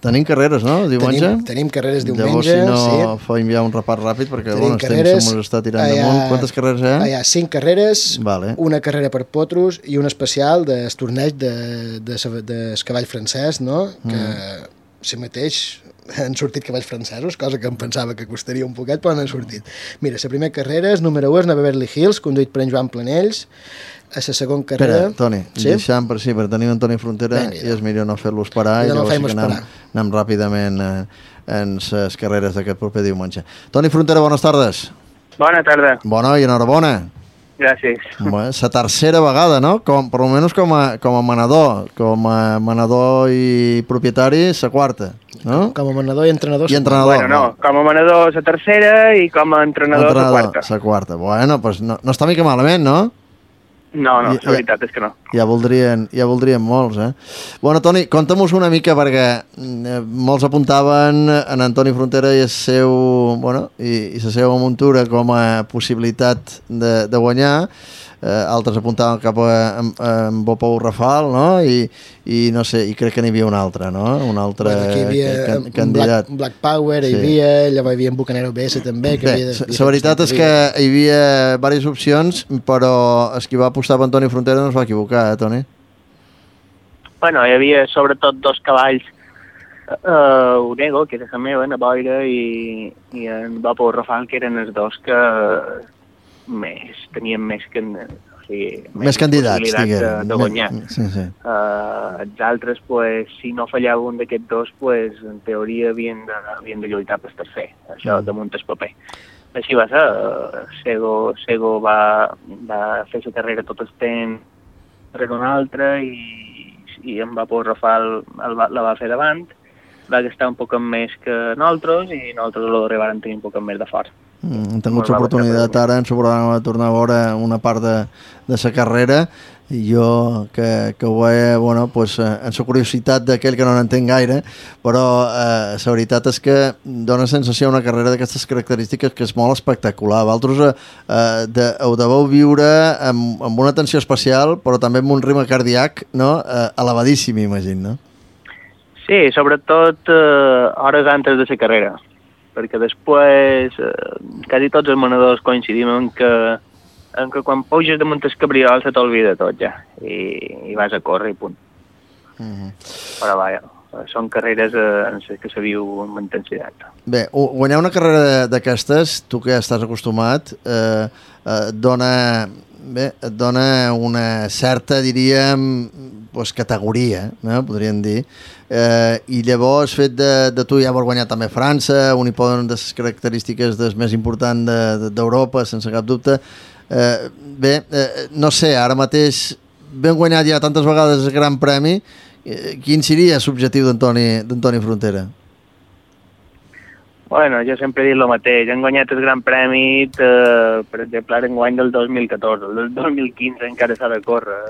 Tenim carreres, no? Diumenge? Tenim carreres diumenge, llavors, si no, faim ja un repàs ràpid, perquè el temps se'ns està tirant damunt. Quantes carreres hi ha? Hi ha 5 carreres, vale. Una carrera per potros i un especial del torneig del cavall francès, no? Que si mateix han sortit cavalls francesos, cosa que em pensava que costaria un poquet, però han sortit. Mira, la primera carrera és número 1, és a Beverly Hills, conduït per en Joan Planells. A la segona carrera... Espera, Toni, deixem per tenir en Toni Frontera i és millor no fer-los parar i llavors sí que anem ràpidament en les carreres d'aquest proper diumenge. Toni Frontera, bones tardes. Bona tarda. Bona i enhorabona. Gràcies. La tercera vegada, no? Per almenys com a manador. Com a manador i propietari, la quarta, no? Com a manador i entrenador. Bueno, no. Com a manador la tercera i com a entrenador la quarta. La quarta. Bueno, doncs no està mica malament, no? No, la veritat és que no. Ja voldrien molts, eh? Bueno, Toni, conta'm-nos una mica, perquè molts apuntaven en Antoni Frontera i el seu, i la seva muntura com a possibilitat de guanyar. Altres apuntaven cap a en Bopou Rafal, no? I no sé, i crec que n'hi havia un altre, no? Un altre candidat. Black Power, hi havia, llavors hi havia en Bucanero BS també. La veritat és que hi havia diverses opcions, però el qui va apostar per Antoni Frontera no es va equivocar, Toni? Bueno, hi havia sobretot 2 cavalls, Unego, que era la meva, na Boira, i en Bopou Rafal, que eren els 2 que tenien més candidats, de guanyar. Sí. Els altres, si no fallava un d'aquests 2, en teoria havien de lluitar per tercer, això damunt el paper. Així va ser, Sego va fer la carrera tot el temps darrere un altre i en Bopou Rafal la va fer davant, va gastar un poc més que nosaltres i nosaltres l'arribàrem van tenir un poc més de fort. Hem tingut l'oportunitat ara en el programa de tornar a veure una part de la carrera i jo que ho veia en la curiositat d'aquell que no n'entenc gaire, però la veritat és que dona sensació una carrera d'aquestes característiques que és molt espectacular. Vosaltres ho deveu viure amb una atenció especial, però també amb un ritme cardíac elevadíssim, imagino, no? Sí, sobretot hores antes de la carrera, perquè després quasi tots els manadors coincidim en que quan puges damunt el cabriol se t'olvida tot ja i vas a córrer i punt. Però vaja, són carreres en les que se viu amb intensitat. Bé, guanyar una carrera d'aquestes, tu que estàs acostumat, et dona una certa, diríem, categoria, podríem dir, i llavors fet de tu ja vols guanyar també França, un hi poden de les característiques més importants d'Europa, sense cap dubte. No sé, ara mateix ben guanyat ja tantes vegades el Gran Premi, quin seria l'objectiu d'Antoni Frontera? Bueno, jo sempre he dit el mateix, hem guanyat el Gran Premi, per exemple, ara en guany del 2014, el del 2015 encara s'ha de córrer.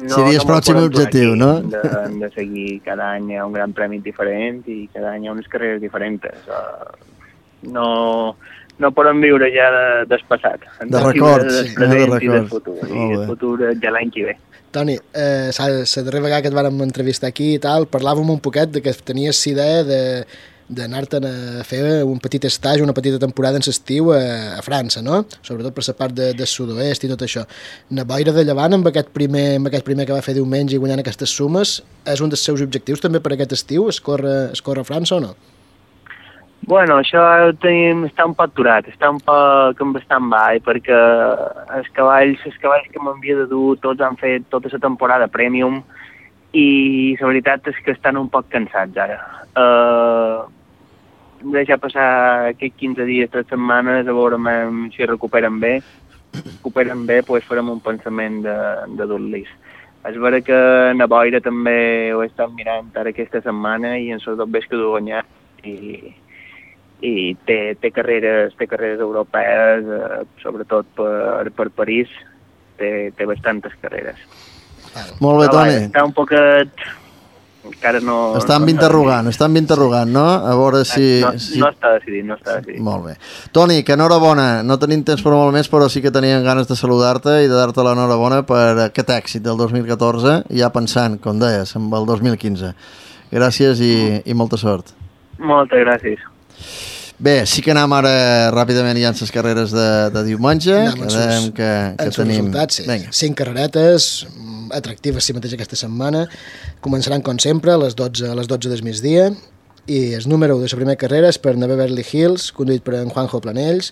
Seria el pròxim objectiu, no? Hem de seguir cada any un Gran Premi diferent i cada any unes carreres diferents. No podem viure ja del passat. De records. Del present i del futur. I el futur ja l'any que ve. Toni, la darrera vegada que et vàrem entrevistar aquí i tal, parlàvem un poquet de que tenies idea d'anar-te'n a fer un petit estatge, una petita temporada en l'estiu a França, no? Sobretot per la part del sud-oest i tot això. Na Boira de Llevant, amb aquest primer que va fer diumenge i guanyant aquestes sumes, és un dels seus objectius també per aquest estiu, escórrer a França o no? Bueno, això està un poc aturat, està un poc en bastant baix, perquè els cavalls que m'havia de dur tots han fet tota la temporada premium i la veritat és que estan un poc cansats ara. Deixar passar aquests 15 dies, 3 setmanes, a veure si recuperen bé. Doncs farem un pensament de dur-los. És vera que a Boira també ho he estat mirant ara aquesta setmana i en els 2 vés que he guanyat i té carreres europees, sobretot per París, té bastantes carreres. Molt bé, Toni. Està un poquet... Encara no... Estan interrogant, no? A veure si... No està decidit. Molt bé. Toni, que enhorabona. No tenim temps per molt més, però sí que teníem ganes de saludar-te i de dar-te l'enhorabona per aquest èxit del 2014, ja pensant, com deies, en el 2015. Gràcies i molta sort. Moltes gràcies. Bé, sí que anem ara ràpidament ja en les carreres de diumenge. Anem que tenim... resultats, sí. 5 carreretes atractives si mateix aquesta setmana. Començaran, com sempre, a les 12 del migdia, i el número 1 de la primera carrera és per Neve Beverly Hills, conduït per en Juanjo Planells.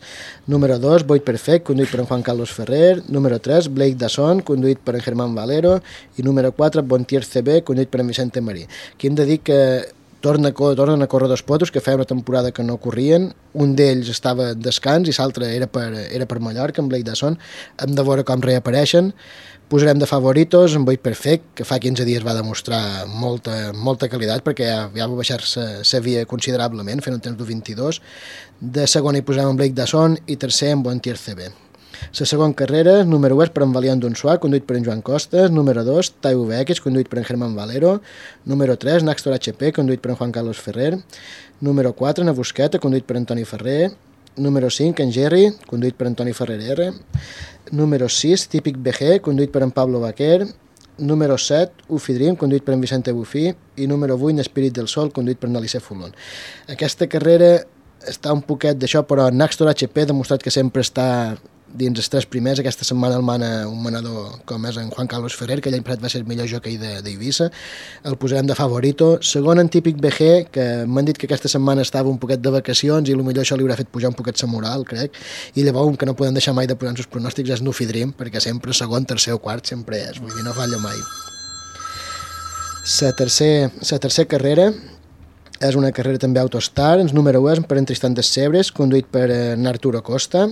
Número 2, Boit Perfect, conduït per en Juan Carlos Ferrer. Número 3, Blake Dasson, conduït per en Germán Valero. I número 4, Bontier CB, conduït per en Vicente Marí. Aquí hem de dir que tornen a córrer 2 potos que feia una temporada que no corrien. Un d'ells estava en descans i l'altre era per Mallorca, en Blake Dasson. Hem de veure com reapareixen. Posarem de favoritos en Boit Perfect, que fa 15 dies va demostrar molta qualitat, perquè ja va baixar-se la via considerablement, fent un temps d'1.22. De segon hi posarem en Blake Dasson i tercer en Bontier CB. La segona carrera, número 1 és per en Valiant Donsois, conduït per en Joan Costas. Número 2, TVX, conduït per en Germán Valero. Número 3, Naxtor HP, conduït per en Juan Carlos Ferrer. Número 4, Navusqueta, conduït per en Toni Ferrer. Número 5, en Jerry, conduït per en Toni Ferrer R. Número 6, Típic BG, conduït per en Pablo Baquer. Número 7, Ufi Dream, conduït per en Vicente Bufí. I número 8, Espírit del Sol, conduït per en Alice Fulon. Aquesta carrera està un poquet d'això, però Naxtor HP ha demostrat que sempre està dins els 3 primers. Aquesta setmana el mana un manador com és en Juan Carlos Ferrer, que l'any passat va ser el millor jockey d'Eivissa. El posarem de favorito. Segon, en Típic BG, que m'han dit que aquesta setmana estava un poquet de vacacions i potser això li haurà fet pujar un poquet sa moral, crec. I llavors, que no podem deixar mai de posar els pronòstics, és Nufi Dream, perquè sempre segon, tercer o quart sempre és, vull dir, no falla mai. La tercera carrera és una carrera també Autostar. El número 1 és per en Tristan Dessebres, conduït per en Arturo Costa.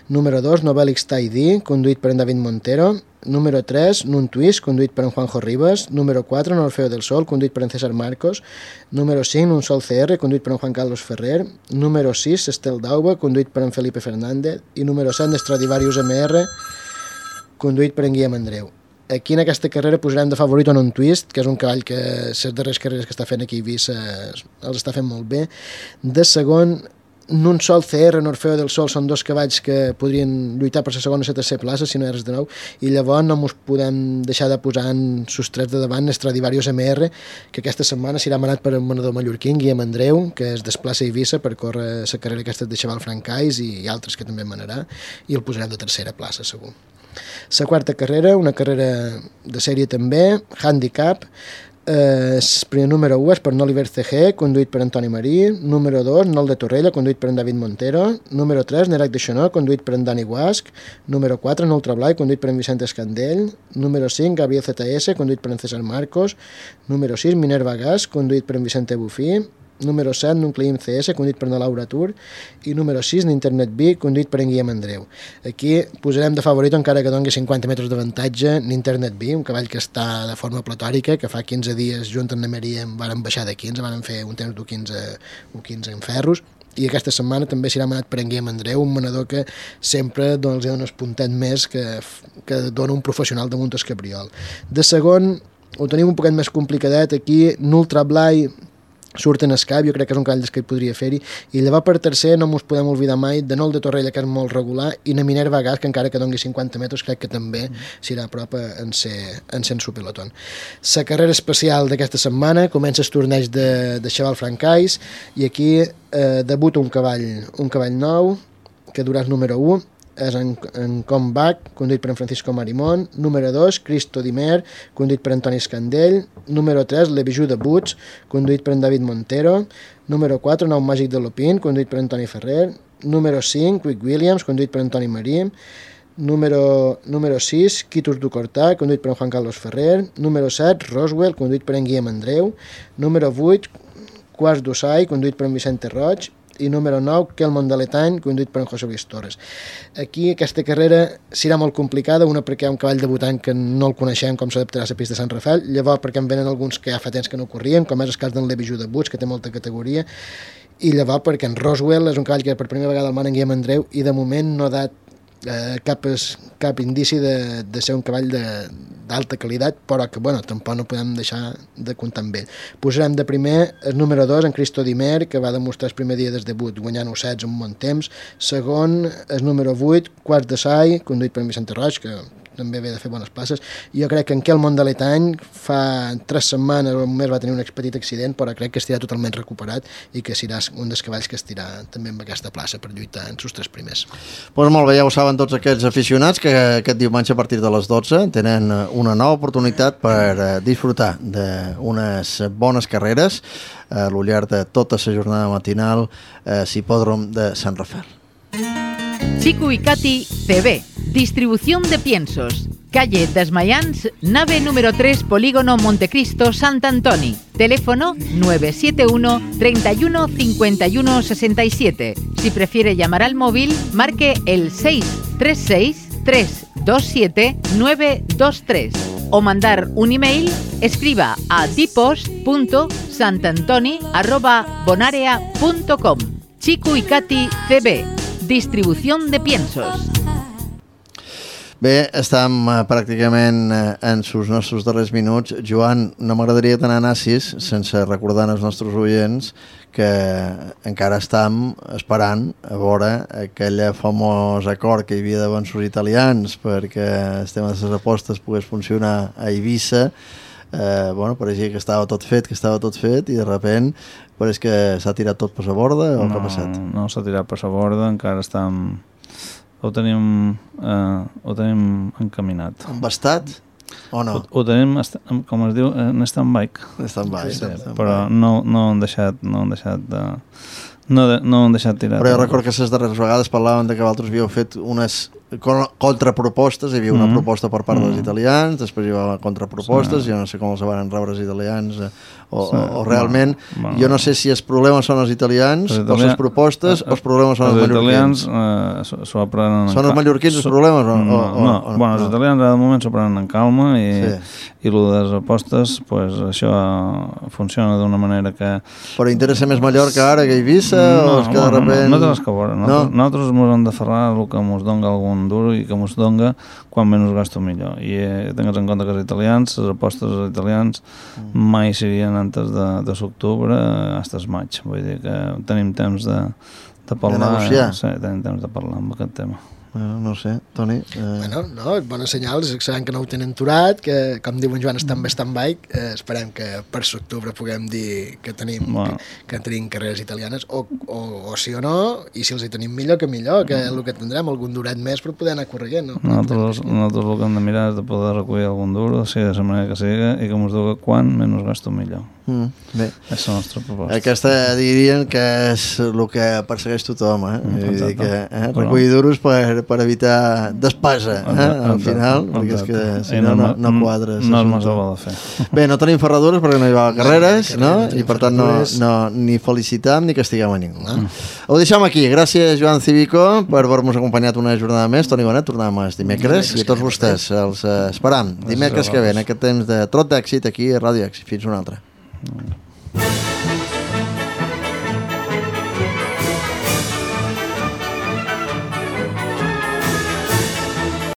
Número 2, Novelix Taidí, conduït per en David Montero. Número 3, Nun Twist, conduït per en Juanjo Rivas. Número 4, Orfeo del Sol, conduït per en César Marcos. Número 5, Un Sol CR, conduït per en Juan Carlos Ferrer. Número 6, Estel Dauba, conduït per en Felipe Fernández. I número 7, Stradivarius MR, conduït per en Guillem Andreu. Aquí en aquesta carrera posarem de favorit un Twist, que és un cavall que les darreres carreres que està fent aquí a Eivissa els està fent molt bé. De segon, Nun Sol CR, Orfeo del Sol, són 2 cavalls que podrien lluitar per la segona o la tercera plaça, si no és de nou, i llavors no ens podem deixar de posar en sus 3 de davant Stradivarius MR, que aquesta setmana serà manat per un manador mallorquí, Guillem Andreu, que es desplaça a Eivissa per córrer la carrera aquesta de Xaval Francais i altres que també manarà, i el posarem de tercera plaça, segur. La quarta carrera, una carrera de sèrie també, Handicap. El primer número 1 és per Oliver CG, conduït per Antoni Marí. Número 2, Nol de Torrella, conduït per en David Montero. Número 3, Nerac de Xonó, conduït per en Dani Guasc. Número 4, Nol Trablai, conduït per en Vicente Escandell. Número 5, Gabriel ZS, conduït per en César Marcos. Número 6, Minerva Gas, conduït per en Vicente Bufí. Número 7, Nucleim CS, conduït per en Laura Tur. I número 6, Internet B, conduït per en Guillem Andreu. Aquí posarem de favorito, encara que doni 50 metres d'avantatge, Internet B, un cavall que està de forma platòrica, que fa 15 dies junt amb Maria van baixar de 15, van fer un temps d'1.15 en ferros, i aquesta setmana també serà manat per en Guillem Andreu, un manador que sempre els dona un puntet més que dona un professional damunt el cabriol. De segon, ho tenim un poquet més complicadet, aquí Nultra Blai surt en escap, jo crec que és un cavall que podria fer-hi, i llavors per tercer no ens podem oblidar mai de Nol de Torrella, que és molt regular, i na Minerva Gas, que encara que doni 50 metres crec que també serà a prop en ser su pelotón. La carrera especial d'aquesta setmana comença el torneig de Xaval Francais, i aquí debuta un cavall nou que durà el número 1, és en Comeback, conduït per en Francisco Marimón. Número 2, Cristo Dimer, conduït per Antoni Escandell. Número 3, Le Bijou de Boots, conduït per en David Montero. Número 4, Nou Màgic de Lopin, conduït per Antoni Ferrer. Número 5, Quick Williams, conduït per Antoni Marí. Número 6, Quitus du Cortà, conduït per en Juan Carlos Ferrer. Número 7, Roswell, conduït per en Guillem Andreu. Número 8, Quarts d'Ossai, conduït per en Vicente Roig. I número 9, Kelmon de l'Etany, conduït per en José Luis Torres. Aquí aquesta carrera serà molt complicada, una perquè hi ha un cavall debutant que no el coneixem com s'adaptarà a la pista de Sant Rafael, llavors perquè en venen alguns que ja fa temps que no corrien, com és el cas d'en Lebijou de Boots, que té molta categoria, i llavors perquè en Roswell és un cavall que per primera vegada el man en Guillem Andreu i de moment no ha dat cap indici de ser un cavall d'alta qualitat, però que tampoc no podem deixar de comptar amb ell. Posarem de primer el número 2, en Cristo Dimer, que va demostrar el primer dia del debut guanyant 1-16 en un bon temps. Segon, el número 8, Quarts de Sai, conduït per Vicente Roig, que també ve de fer bones places. Jo crec que en Quel Mondaletany fa 3 setmanes o un mes va tenir un petit accident, però crec que estirà totalment recuperat i que serà un dels cavalls que estirà també en aquesta plaça per lluitar en els 3 primers. Doncs molt bé, ja ho saben tots aquests aficionats que aquest diumenge a partir de les 12 tenen una nova oportunitat per disfrutar d'unes bones carreres a lo llarg de tota la jornada matinal a l'hipòdrom de Sant Rafael. Chico y Katy CB, distribución de piensos. Calle Desmayans, nave número 3, Polígono Montecristo, Sant Antoni. Teléfono 971 31 51 67. Si prefiere llamar al móvil, marque el 636 327 923. O mandar un email, escriba a tipos.santantoni@bonarea.com. Chico y Katy CB, distribución de piensos. Bé, estem pràcticament en els nostres darrers minuts. Joan, no m'agradaria anar nassis sense recordar als nostres oients que encara estem esperant a veure aquell famós acord que hi havia davant els italians perquè el tema de les apostes pogués funcionar a Eivissa. Pareixia que estava tot fet i de sobte pareix que s'ha tirat tot per la borda o què ha passat? No s'ha tirat per la borda, encara estem... Ho tenim encaminat. Embastat o no? Ho tenim, com es diu, en stand-by. Però no han deixat tirar. Però jo recordo que les darreres vegades parlaven que vosaltres havíeu fet unes contrapropostes, hi havia una proposta per part dels italians, després hi va contrapropostes, jo no sé com els van rebre els italians o realment, jo no sé si els problemes són els italians o les propostes o els problemes són els mallorquins. Són els mallorquins els problemes? No, els italians de moment s'ho prenen en calma i el de les apostes, això funciona d'una manera que... Però interessa més Mallorca ara que Eivissa o és que de repente... No té res que veure, nosaltres ens hem d'aferrar el que ens dona algun duro i que ens dona quan menys gasto millor i tingues en compte que els italians, les apostes dels italians mai serien antes de l'octubre fins al maig, vull dir que tenim temps de parlar, de negociar. Sí, tenim temps de parlar amb aquest tema. No sé, Toni... Bones senyals, sabem que no ho tenen aturat, que, com diu en Joan, estan bé stand-by, esperem que per l'octubre puguem dir que tenim carreres italianes, o sí o no, i si els hi tenim millor, que el que tindrem, algun duret més per poder anar corregint. Nosaltres el que hem de mirar és de poder recollir algun duro, sigui de la manera que sigui, i que ens diu quan menys gasto millor. Bé. És la nostra proposta. Aquesta dirien que és el que persegueix tothom, recollir duros per evitar despesa, al final, perquè és que si no quadres. No és massa bo de fer. Bé, no tenim ferradures perquè no hi va carreres, i per tant ni felicitam ni castiguem a ningú. Ho deixem aquí. Gràcies, Joan Cívico, per haver-nos acompanyat una jornada més. Toni Bonet, tornem els dimecres i a tots vostès els esperam dimecres que ve en aquest temps de trot d'èxit aquí a Ràdio Èxit. Fins una altra.